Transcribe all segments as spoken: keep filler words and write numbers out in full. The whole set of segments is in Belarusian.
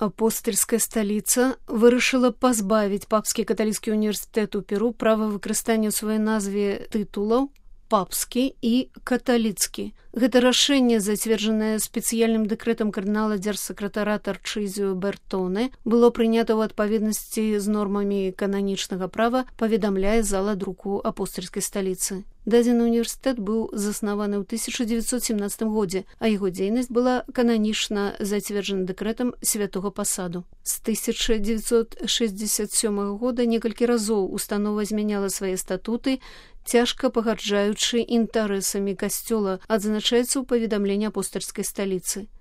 Апостальская сталіца вырашыла пазбавіць папскі каталіцкі універсітэт у Перу права выкарыстання ў сваёй назве тытулаў папскі і каталіцкі. Гэта рашэнне, зацверджанае спецыяльным дэкрэтам кардынала дзяржсакратара Тарчызіо Бертоне, было прынята ў адпаведнасці з нормамі кананічнага права, паведамляе зала друку апостальскай сталіцы. Дадзены універсітэт быў заснаваны ў тысяча дзевяцьсот семнадцатым годзе, а яго дзейнасць была кананічна зацверджана дэкрэтам святога пасаду. З тысяча дзевяцьсот шэсцьдзесят сёмага года некалькі разоў установа змяняла свае статуты, цяжка пагарджаючы інтарэсамі касцёла, адзначаецца ў паведамленні апостальскай сталіцы.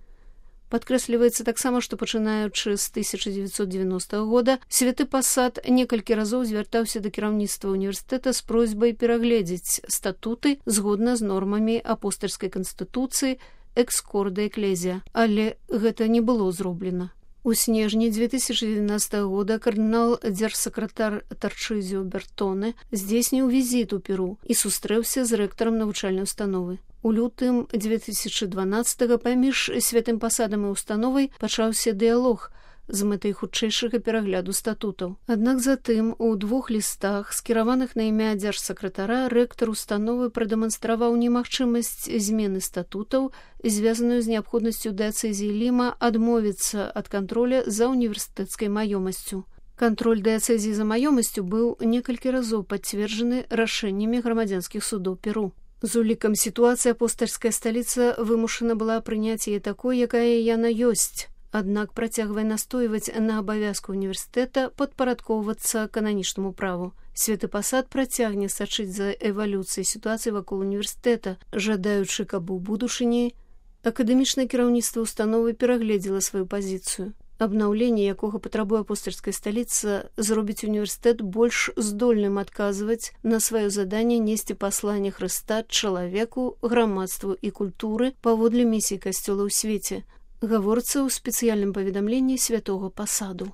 Падкрэсліваецца таксама, што пачынаючы з тысяча дзевяцьсот дзевяностага года святы пасад некалькі разоў звяртаўся да кіраўніцтва універсітэта з просьбай перагледзець статуты згодна з нормамі апостальскай канстытуцыі экскорда эклезія, але гэта не было зроблена. У снежні две тысячи двенадцатага года кардынал дзяржсакратар Тарчызіо Бертоне здзейсніў візіт у Перу і сустрэўся з рэктарам навучальнай установы. У лютым две тысячи дванаццатага паміж святым пасадам і установай пачаўся дыялог з мэтай хутчэйшага перагляду статутаў. Аднак затым у двух лістах, скіраваных на імя дзяржсакратара, рэктар установы прадэманстраваў немагчымасць змены статутаў, звязаную з неабходнасцю дыяцэзіі Ліма адмовіцца ад кантроля за універсітэцкай маёмасцю. Кантроль дыяцэзіі за маёмасцю быў некалькі разоў пацверджаны рашэннямі грамадзянскіх судоў Перу. З улікам сітуацыі апостальская сталіца вымушана была прыняць яе такой, якая яна ёсць, аднак працягвае настойваць на абавязку універсітэта падпарадкоўвацца кананічнаму праву. Святы пасад працягне сачыць за эвалюцыяй сітуацыі вакол універсітэта, жадаючы, каб у будучыні акадэмічнае кіраўніцтва установы перагледзела сваю пазіцыю. Абнаўленне, якога патрабуе апостальская сталіца, зробіць універсітэт больш здольным адказваць на сваё заданне несці пасланне Хрыста чалавеку, грамадству і культуры паводле місіі касцёла ў свеце, гаворыцца ў спецыяльным паведамленні святога пасаду.